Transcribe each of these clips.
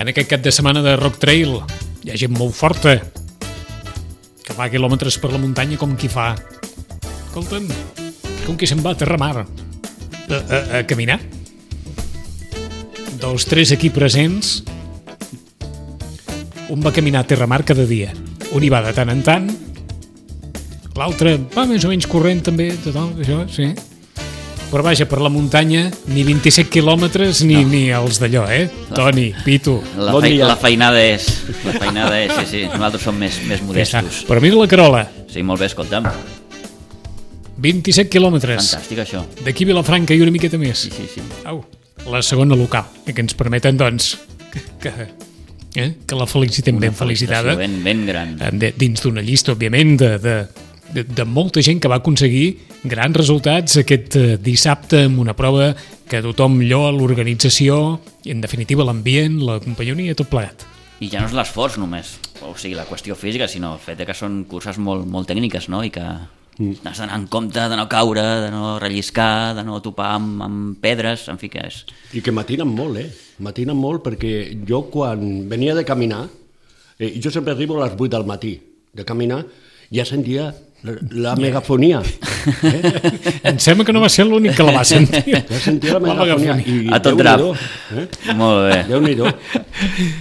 En aquest cap de setmana de Rock Trail hi ha gent molt forta que fa quilòmetres per la muntanya com qui fa. Escolta'm, com qui se'n va a Terramar a caminar. Dels 3 aquí presents, un va caminar a Terramar cada dia. Un hi va de tant en tant, l'altre va més o menys corrent també, total, això, sí. Però vaja, per la muntanya, ni 27 quilòmetres ni els d'allò, Toni, Pitu. La feinada és, sí. Nosaltres som més modestos. Però mira la Carola. Sí, molt bé, escolta'm. 27 quilòmetres. Fantàstic, això. D'aquí a Vilafranca i una miqueta més. Sí. Au, la segona local, que ens permeten, doncs, que la felicitem ben felicitada. Ben gran. Dins d'una llista, òbviament, de molta gent que va aconseguir grans resultats aquest dissabte amb una prova que tothom lloa, l'organització i, en definitiva, l'ambient, la companyonia, tot plegat. I ja no és l'esforç només, o sigui, la qüestió física, sinó el fet que són curses molt tècniques, no? I que has d'anar en compte de no caure, de no relliscar, de no topar amb pedres, en fi, que és... I que matinen molt, matinen molt, perquè jo quan venia de caminar, jo sempre arribo a les 8 del matí de caminar, ja sentia la megafonia. Em sembla que no va ser l'únic que la va sentir. Ja sentia la megafonia. A tot drap. Molt bé. Déu-n'hi-do.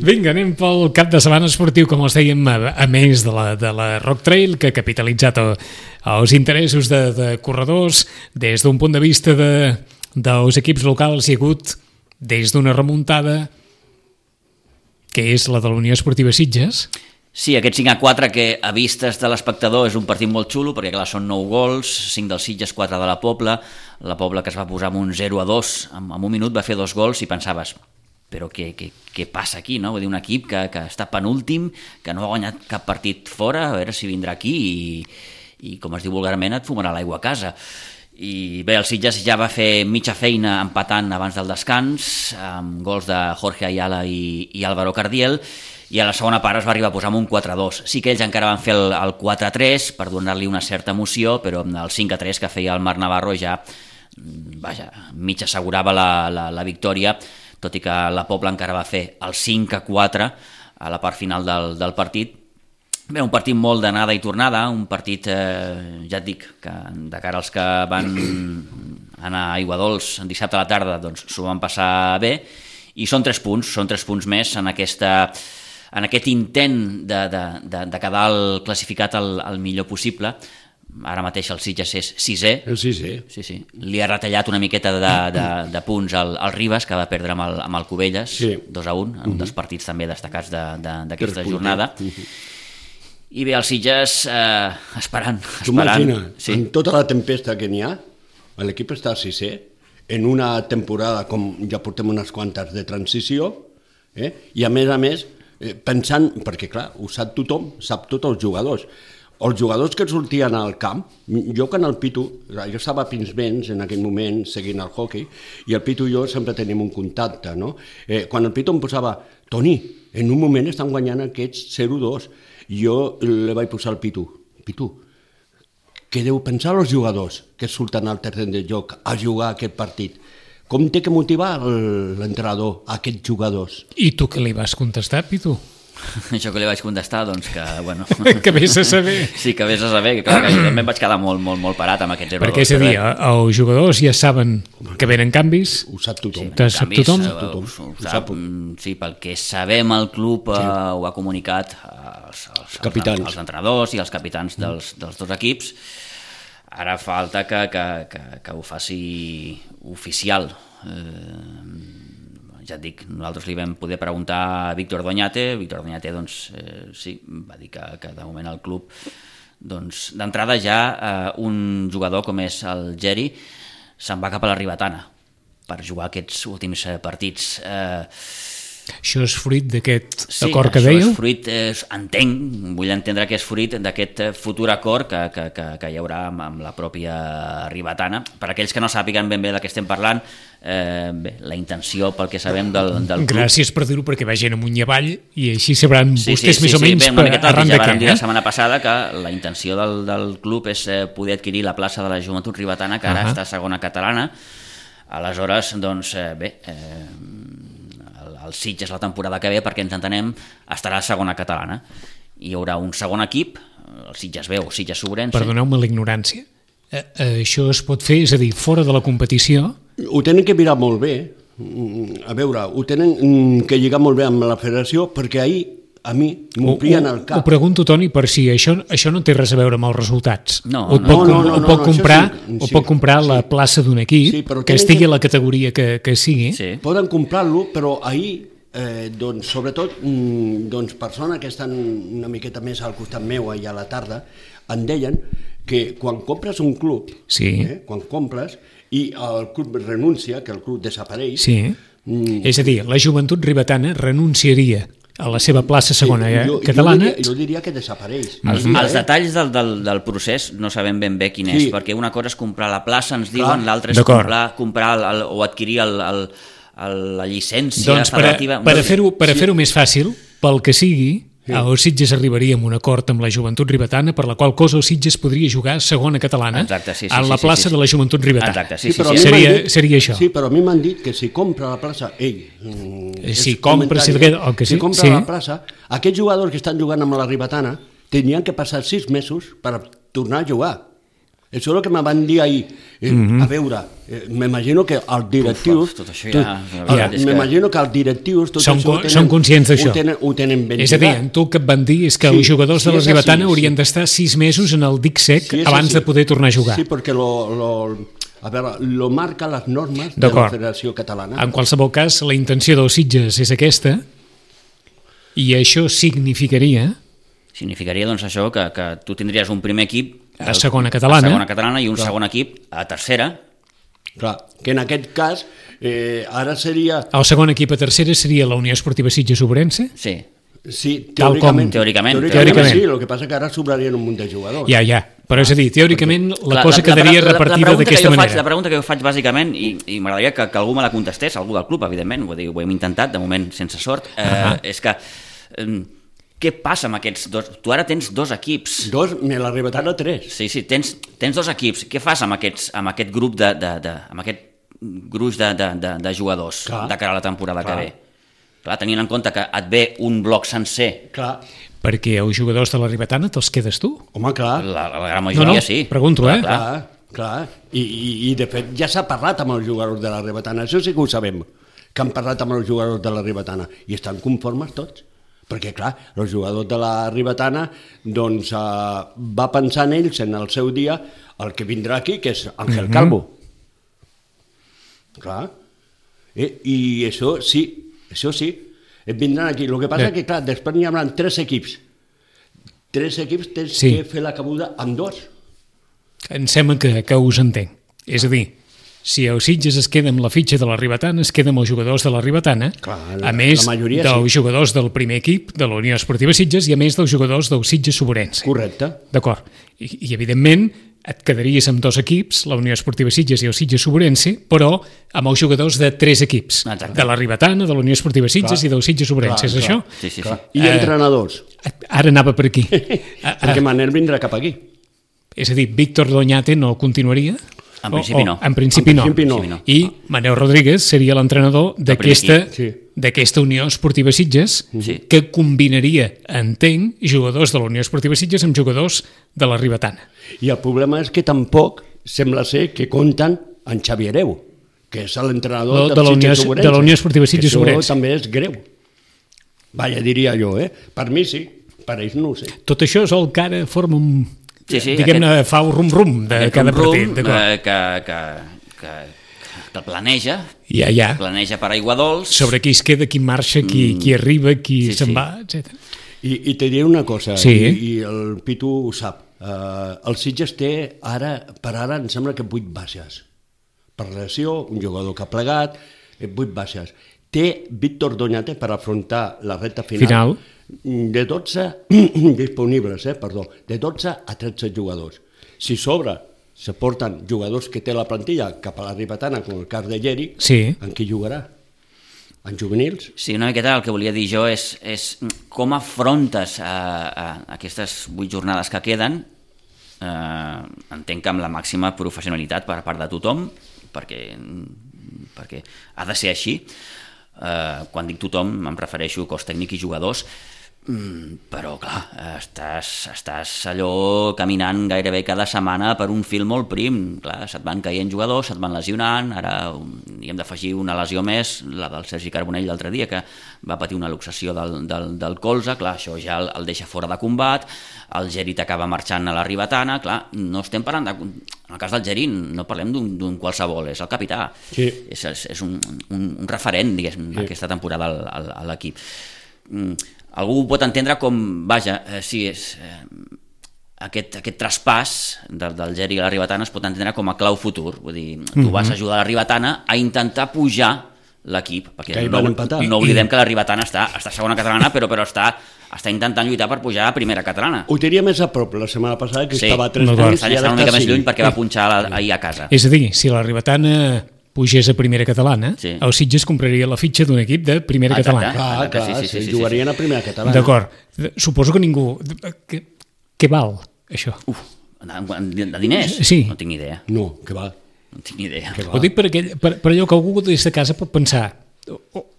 Vinga, anem pel cap de setmana esportiu, com els dèiem, a més de la Rock Trail, que ha capitalitzat els interessos de corredors. Des d'un punt de vista dels equips locals hi ha hagut des d'una remuntada que és la de la Unió Esportiva Sitges. Sí, aquest 5-4 que a vistes de l'espectador és un partit molt xulo, perquè clar, són 9 gols, 5 del Sitges, 4 de la Pobla que es va posar amb un 0-2, en un minut va fer 2 gols i pensaves, però què passa aquí, no? Vull dir, un equip que està penúltim, que no ha guanyat cap partit fora, a veure si vindrà aquí i com es diu vulgarment, et fumarà l'aigua a casa. I bé, el Sitges ja va fer mitja feina empatant abans del descans, amb gols de Jorge Ayala i Álvaro Cardiel, i a la segona part es va arribar a posar amb un 4-2. Sí que ells encara van fer el 4-3 per donar-li una certa emoció, però el 5-3 que feia el Marc Navarro ja, vaja, mig assegurava la victòria, tot i que la Pobla encara va fer el 5-4 a la part final del partit. Bé, un partit molt d'anada i tornada, un partit, ja et dic, que de cara als que van anar a Aiguadols dissabte a la tarda, doncs s'ho van passar bé, i són 3 punts més en aquest intent de quedar classificat el millor possible. Ara mateix el Sitges és 6è. El 6è. Sí. Li ha retallat una miqueta de punts al Ribas, que va perdre amb el Cubelles, 2-1, en un dels partits també destacats d'aquesta jornada. I bé, el Sitges esperant. Tu imagina, amb tota la tempesta que n'hi ha, l'equip està 6è, en una temporada com ja portem unes quantes de transició, i a més, pensant, perquè clar, ho sap tothom, sap tots els jugadors. Els jugadors que sortien al camp, jo que en el Pitu, jo estava a Pinsbens en aquell moment seguint el hockey, i el Pitu i jo sempre tenim un contacte, no? Quan el Pitu em posava, Toni, en un moment estan guanyant aquests 0-2, jo li vaig posar al Pitu, què deu pensar els jugadors que surten al terreny de joc a jugar aquest partit? Com té que motivar l'entrenador a aquests jugadors? I tu què li vas contestar, Pitu? Això que li vaig contestar, doncs que, bueno... que vés a saber. Sí, que vés a saber, que clar, que jo també em vaig quedar molt parat amb aquest 0-2. Perquè és a dir, els jugadors ja saben que venen canvis. Ho sap tothom. Ho sap, sí, pel que sabem el club ho ha comunicat als entrenadors i als capitans dels 2 equips. Ara falta que ho faci oficial. Ja et dic, nosaltres li vam poder preguntar a Víctor Doñate, doncs, sí, va dir que de moment el club, doncs, d'entrada ja un jugador com és el Geri se'n va cap a la Ribetana per jugar aquests últims partits. Això és fruit d'aquest acord que dèieu? Sí, això és fruit, vull entendre que és fruit d'aquest futur acord que hi haurà amb la pròpia Ribetana. Per aquells que no sàpiguen ben bé de què estem parlant, la intenció, pel que sabem del club... Gràcies per dir-ho, perquè vagin amunt i avall i així sabran vostès més o menys arran de què. Ja vam dir la setmana passada que la intenció del club és poder adquirir la plaça de la Joventut Ribetana, que ara està a segona catalana. Aleshores, doncs, el Sitges la temporada que ve, perquè ens entenem, estarà a segona catalana. Hi haurà un segon equip, el Sitges B o Sitges Sobrense. Perdoneu-me la ignorància. Això es pot fer, és a dir, fora de la competició? Ho tenen que mirar molt bé. A veure, ho tenen que lligar molt bé amb la federació, perquè ahir a mi m'omplien el cap. Ho pregunto, Toni, per si això no té res a veure amb els resultats. No, Ho pot comprar la plaça d'un equip, que estigui a la categoria que sigui. Sí. Poden comprar-lo, però ahir, doncs, sobretot, persones que estan una miqueta més al costat meu allà a la tarda, em deien que quan compres un club, quan compres, i el club renuncia, que el club desapareix... Sí, és a dir, la Joventut Ribetana renunciaria a la seva plaça segona catalana... Jo diria que desapareix. Els detalls del procés no sabem ben bé quin és, perquè una cosa és comprar la plaça, ens diuen, l'altra és comprar o adquirir la llicència federativa... Per fer-ho més fàcil, pel que sigui, el Sitges arribaria a un acord amb la Joventut Ribetana, per la qual cosa el Sitges podria jugar segona catalana en la plaça de la Joventut Ribetana. Seria això. Sí, però a mi m'han dit que si compra la plaça, si compra la plaça, aquests jugadors que estan jugant amb la Ribetana tenien que passar 6 mesos per tornar a jugar. Això és el que me van dir ahir. A veure, m'imagino que els directius... M'imagino que els directius... Són conscients d'això. Ho tenen ben És a dir, tu el que et van dir és que els jugadors de la Ribetana haurien d'estar 6 mesos en el dic sec abans de poder tornar a jugar. Sí, perquè lo marca les normes de la Federació Catalana. En qualsevol cas, la intenció dels Sitges és aquesta, i això significaria... Significaria, doncs, això, que tu tindries un primer equip a segona catalana i un segon equip a tercera. Clar, que en aquest cas ara seria... El segon equip a tercera seria la Unió Esportiva Sitges Sobrense? Sí. Sí, teòricament. Sí, el que passa que ara sobrarien un munt de jugadors. Ja, però és a dir, teòricament la cosa quedaria repartida d'aquesta manera. La pregunta que jo faig bàsicament, i m'agradaria que algú me la contestés, algú del club, evidentment, ho hem intentat, de moment sense sort, és que... Què passa amb aquests dos? Tu ara tens 2 equips. La Ribetana 3. Sí, tens 2 equips. Què fas amb aquest grup amb aquest gruix de jugadors de cara a la temporada que ve? Clar, tenint en compte que et ve un bloc sencer. Clar. Perquè els jugadors de la Ribetana te'ls quedes tu? Home, clar. La gran majoria sí. Pregunto, Clar. I de fet ja s'ha parlat amb els jugadors de la Ribetana. Això sí que ho sabem, que han parlat amb els jugadors de la Ribetana. I estan conformes tots. Perquè, clar, els jugadors de la Ribetana doncs, va pensar en ells en el seu dia el que vindrà aquí, que és Ángel Calvo. Clar. I això sí, vindran aquí. El que passa és que, clar, després n'hi haurà 3 equips. 3 equips tens que fer la cabuda amb 2. Em sembla que us entenc. És a dir, si el Sitges es queda amb la fitxa de la Ribetana, es queda amb els jugadors de la Ribetana, a més dels jugadors del primer equip de la Unió Esportiva Sitges i a més dels jugadors del Sitges Sobrense. Correcte. D'acord. I evidentment et quedaries amb 2 equips, la Unió Esportiva Sitges i el Sitges Sobrense, però amb els jugadors de 3 equips. Exacte. De la Ribetana, de la Unió Esportiva Sitges i del Sitges Sobrense. És això? Sí. I entrenadors. Ara anava per aquí. Perquè Manel vindrà cap aquí. És a dir, Víctor Doñate no continuaria? En principi no. En principi no. I Manel Rodríguez seria l'entrenador d'aquesta Unió Esportiva Sitges, que combinaria, entenc, jugadors de la Unió Esportiva Sitges amb jugadors de la Ribetana. I el problema és que tampoc sembla ser que compten en Xavi Hereu, que és l'entrenador de la Unió Esportiva Sitges Sobrense. Això també és greu. Vaja, diria jo, Per mi sí, per ells no ho sé. Tot això és el que ara forma un... diguem-ne, fa un rum-rum de cada partit. Que planeja, planeja per aigua dolç. Sobre qui es queda, qui marxa, qui arriba, qui se'n va, etc. I te diré una cosa, i el Pitu ho sap. El Sitges té per ara em sembla que 8 baixes. Per lesió, un jugador que ha plegat, 8 baixes. Té Víctor Doñate per afrontar la recta final. De 12 disponibles, de 12 a 13 jugadors. Si sobre se porten jugadors que té la plantilla cap a la Ribetana, com el cas de Lleri, en qui jugarà? En juvenils? Sí, una miqueta el que volia dir jo és com afrontes aquestes 8 jornades que queden. Entenc que amb la màxima professionalitat per part de tothom, perquè ha de ser així. Quan dic tothom em refereixo a cos tècnic i jugadors, però clar, estàs allò caminant gairebé cada setmana per un fil molt prim. Clar, se't van caient jugadors, se't van lesionant, ara hi hem d'afegir una lesió més, la del Sergi Carbonell l'altre dia, que va patir una luxació del colze. Clar, això ja el deixa fora de combat, el Geri t'acaba marxant a la Ribetana. Clar, no estem parlant en el cas del Geri no parlem d'un qualsevol, és el capità, sí. és un referent, diguéssim, sí, aquesta temporada a l'equip. Algú ho pot entendre com, vaja, sí, aquest traspàs del Geri a la Ribetana es pot entendre com a clau futur. Vull dir, tu vas ajudar la Ribetana a intentar pujar l'equip, perquè no oblidem que la Ribetana està a segona catalana, però està intentant lluitar per pujar a primera catalana. Ho tenia més a prop la setmana passada, que estava a 3 punts, i ara està una mica més lluny perquè va punxar ahir a casa. És a dir, si la Ribetana pugés a primera catalana, el Sitges compraria la fitxa d'un equip de primera catalana. Clar, sí, jugarien a primera catalana. D'acord. Suposo que ningú... Què val, això? De diners? Sí. No tinc ni idea. No, què val? No tinc ni idea. Ho dic per allò que algú des de casa pot pensar,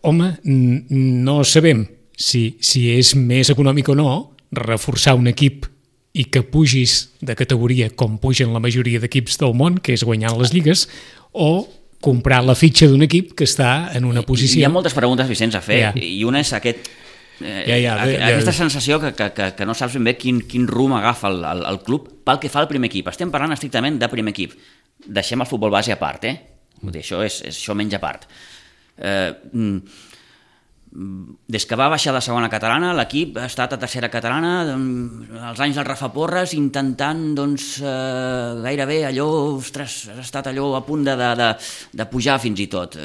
home, no sabem si és més econòmic o no reforçar un equip i que pugis de categoria com pugen la majoria d'equips del món, que és guanyant les lligues, o comprar la fitxa d'un equip que està en una posició... Hi ha moltes preguntes, Vicenç, a fer, i una és aquesta sensació que no saps ben bé quin rumb agafa el club pel que fa al primer equip. Estem parlant estrictament de primer equip. Deixem el futbol base a part, Vull dir, això menja a part. Des que va baixar de segona catalana, l'equip ha estat a tercera catalana, els anys del Rafa Porres, intentant gairebé allò, ostres, ha estat allò a punt de pujar fins i tot.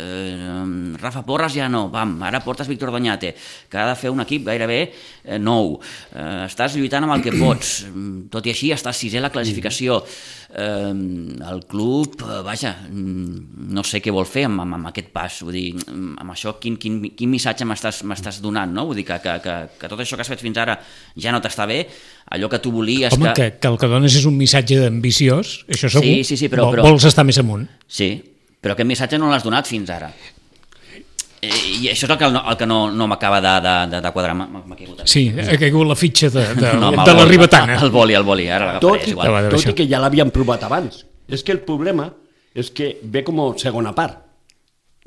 Rafa Porres ja no, ara portes Víctor Doñate, que ha de fer un equip gairebé nou. Estàs lluitant amb el que pots, tot i així estàs sisè a la classificació. El club, vaja, no sé què vol fer amb aquest pas, vull dir, amb això quin missatge m'estàs donant, no? Vull dir que tot això que has fet fins ara ja no t'està bé, allò que tu volies... Home, que el que dones és un missatge ambiciós, això segur, sí, però vols estar més amunt. Sí, però aquest missatge no l'has donat fins ara. I això és el que no m'acaba de quadrar. M'ha caigut. Sí, ha caigut la fitxa de la Ribetana. El boli, ara l'agafaré, és igual. Tot i que ja l'havien provat abans. És que el problema és que ve com a segona part.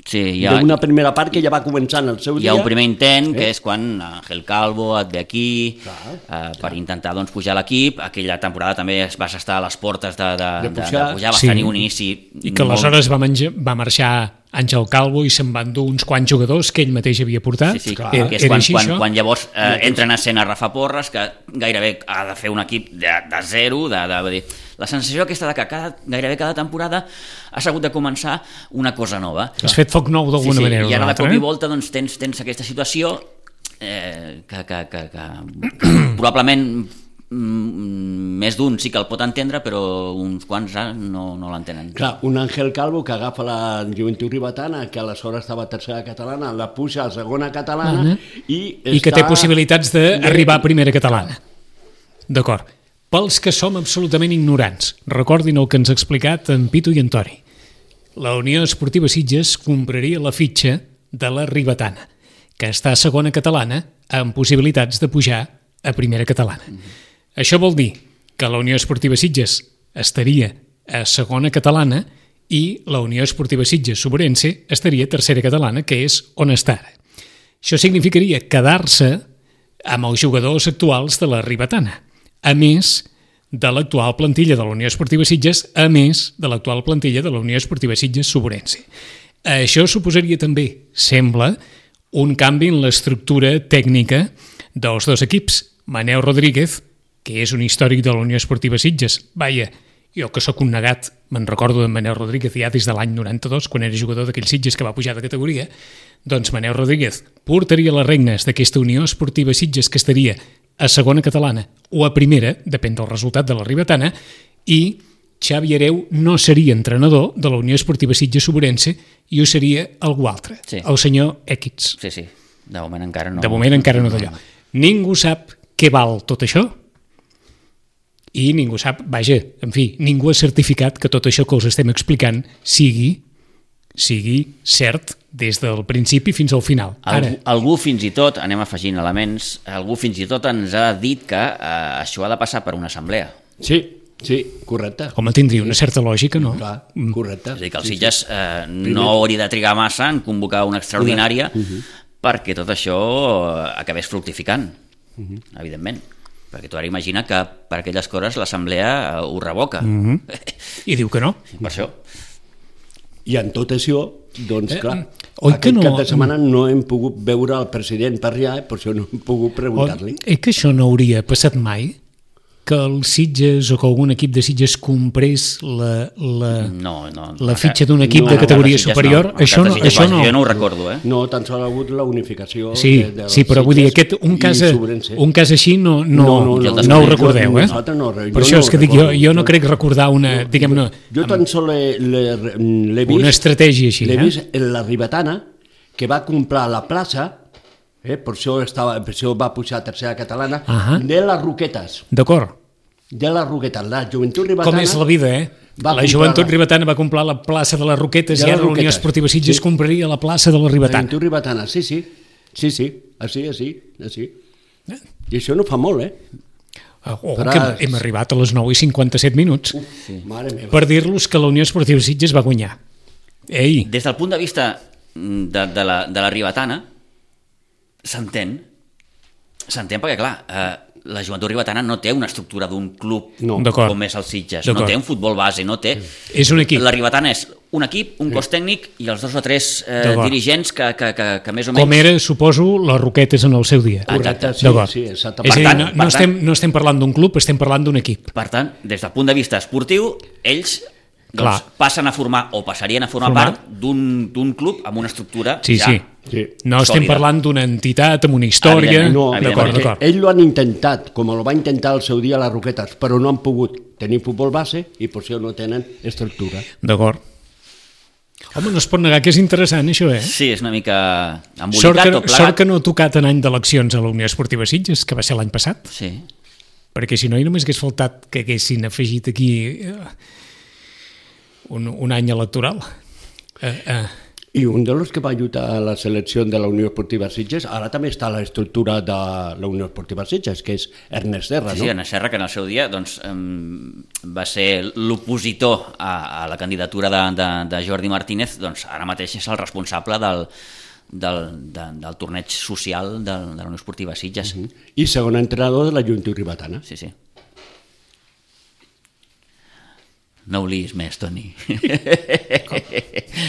Sí, una primera part que ja va començar en el seu dia. Hi ha un primer intent, que és quan Ángel Calvo et ve aquí per intentar pujar l'equip. Aquella temporada també vas estar a les portes de pujar, vas tenir un inici... I que aleshores va marxar Àngel Calvo i se'n van dur uns quants jugadors que ell mateix havia portat. Sí, que és quan llavors entra en escena Rafa Porres, que gairebé ha de fer un equip de zero, la sensació aquesta de que gairebé cada temporada has hagut de començar una cosa nova. Has fet foc nou d'alguna manera. I ara de cop i volta tens aquesta situació que probablement més d'un sí que el pot entendre, però uns quants no l'entenen. Clar, un Ángel Calvo que agafa la Joventut Ribetana, que aleshores estava a tercera catalana, la puja a segona catalana i que té possibilitats d'arribar a primera catalana. D'acord. Pels que som absolutament ignorants, recordin el que ens ha explicat en Pitu i en Tori. La Unió Esportiva Sitges compraria la fitxa de la Ribetana, que està a segona catalana amb possibilitats de pujar a primera catalana. Això vol dir que la Unió Esportiva Sitges estaria a segona catalana i la Unió Esportiva Sitges Sobrense estaria a tercera catalana, que és on està ara. Això significaria quedar-se amb els jugadors actuals de la Ribetana, a més de l'actual plantilla de la Unió Esportiva Sitges, a més de l'actual plantilla de la Unió Esportiva Sitges Sobrense. Això suposaria també, sembla, un canvi en l'estructura tècnica dels dos equips. Manel Rodríguez, que és un històric de la Unió Esportiva Sitges, jo que sóc un negat, me'n recordo de Manel Rodríguez ja des de l'any 92, quan era jugador d'aquells Sitges que va pujar de categoria, doncs Manel Rodríguez portaria les regnes d'aquesta Unió Esportiva Sitges que estaria a segona catalana o a primera, depèn del resultat de la Ribetana, i Xavi Hereu no seria entrenador de la Unió Esportiva Sitges Sobrense i ho seria algú altre, el senyor Equids. Sí, de moment encara no. De moment encara no d'allò. Ningú sap què val tot això i ningú sap, ningú ha certificat que tot això que us estem explicant sigui cert des del principi fins al final. Algú fins i tot, anem afegint elements, algú fins i tot ens ha dit que això ha de passar per una assemblea. Sí, correcte. Home, tindria una certa lògica, no? Clar, correcte. És a dir, que el Sitges no hauria de trigar massa en convocar una extraordinària perquè tot això acabés fructificant, evidentment. Perquè tu ara imagina que per aquelles coses l'assemblea ho revoca. I diu que no. Per això. I en tot això, doncs clar, aquest cap de setmana no hem pogut veure el president per allà, per això no hem pogut preguntar-li. Que això no hauria passat mai? Que el Sitges o que algun equip de Sitges comprés la fitxa d'un equip de categoria superior? Això no. Jo no ho recordo, No, tan sols ha hagut la unificació. Sí, però vull dir, un cas així no ho recordeu, eh? Per això és que dic, jo no crec recordar una, diguem-ne... Jo tan sols l'he vist... Una estratègia així, l'he vist en la Ribetana, que va comprar la plaça, per això va pujar a tercera catalana, de les Roquetes. D'acord. De les Roquetes. La Joventut Ribetana... Com és la vida, La Joventut Ribetana va comprar la plaça de les Roquetes i ara la Unió Esportiva Sitges compraria la plaça de la Ribetana. La Joventut Ribetana, sí. Així. I això no fa molt, que hem arribat a les 9:57 minuts per dir-los que la Unió Esportiva Sitges va guanyar. Ei! Des del punt de vista de la Ribetana, s'entén perquè, clar, la Joventut Ribetana no té una estructura d'un club com és el Sitges, no té un futbol base, no té... És un equip. La Ribetana és un equip, un cos tècnic i els 2 o 3 dirigents que més o menys... Com era, suposo, les Roquetes en el seu dia. Exacte. Sí, exactament. És a dir, no estem parlant d'un club, estem parlant d'un equip. Per tant, des del punt de vista esportiu, ells... passen a formar o passarien a formar part d'un club amb una estructura no estem parlant d'una entitat amb una història. D'acord. Ells ho han intentat, com ho va intentar al seu dia les Roquetes, però no han pogut tenir futbol base i per això no tenen estructura. D'acord. Home, no es pot negar que és interessant això, Sí, és una mica embolicat tot plegat. Sort que no ha tocat en any d'eleccions a la Unió Esportiva Sitges, que va ser l'any passat. Sí. Perquè si no, només hagués faltat que haguessin afegit aquí un any electoral. I un dels que va ajudar a la selecció de la Unió Esportiva Sitges, ara també està a l'estructura de la Unió Esportiva Sitges, que és Ernest Serra, no? Sí, Ernest Serra, que en el seu dia va ser l'opositor a la candidatura de Jordi Martínez, doncs ara mateix és el responsable del torneig social de la Unió Esportiva Sitges. I segon entrenador de la Joventut Ribetana. Sí. No ho liis més, Toni.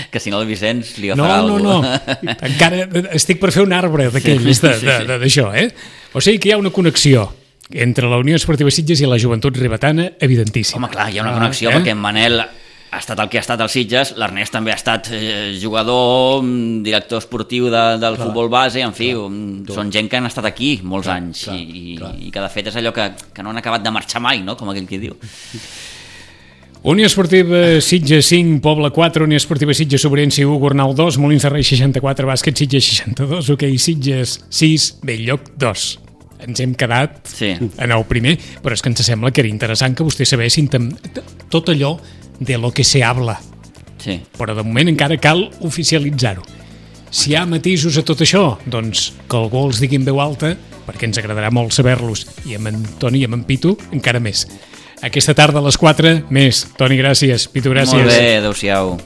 Que si no el Vicenç li agafarà alguna cosa. No. Encara estic per fer un arbre d'aquells d'això, O sigui que hi ha una connexió entre la Unió Esportiva Sitges i la Joventut Ribetana, evidentíssima. Home, clar, hi ha una connexió perquè en Manel ha estat el que ha estat al Sitges, l'Ernest també ha estat jugador, director esportiu del futbol base, en fi, són gent que han estat aquí molts anys i que de fet és allò que no han acabat de marxar mai, no? Com aquell que diu. Unió Esportiva Sitges 5, Poble 4, Unió Esportiva Sitges Sobrense 1, Gornal 2, Molins de Rei 64, Bàsquet Sitges 62, Hoquei Sitges 6, Belllloc 2. Ens hem quedat en el primer, però és que ens sembla que era interessant que vostès sabessin tot allò de lo que se habla. Sí. Però de moment encara cal oficialitzar-ho. Si hi ha matisos a tot això, doncs que algú els digui en veu alta, perquè ens agradarà molt saber-los, i amb en Toni i amb en Pitu encara més. Aquesta tarda a les 4, més. Toni, gràcies. Pitu, gràcies. Molt bé, adéu-siau.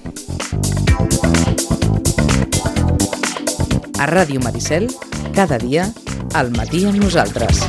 A Ràdio Maricel, cada dia, al matí amb nosaltres.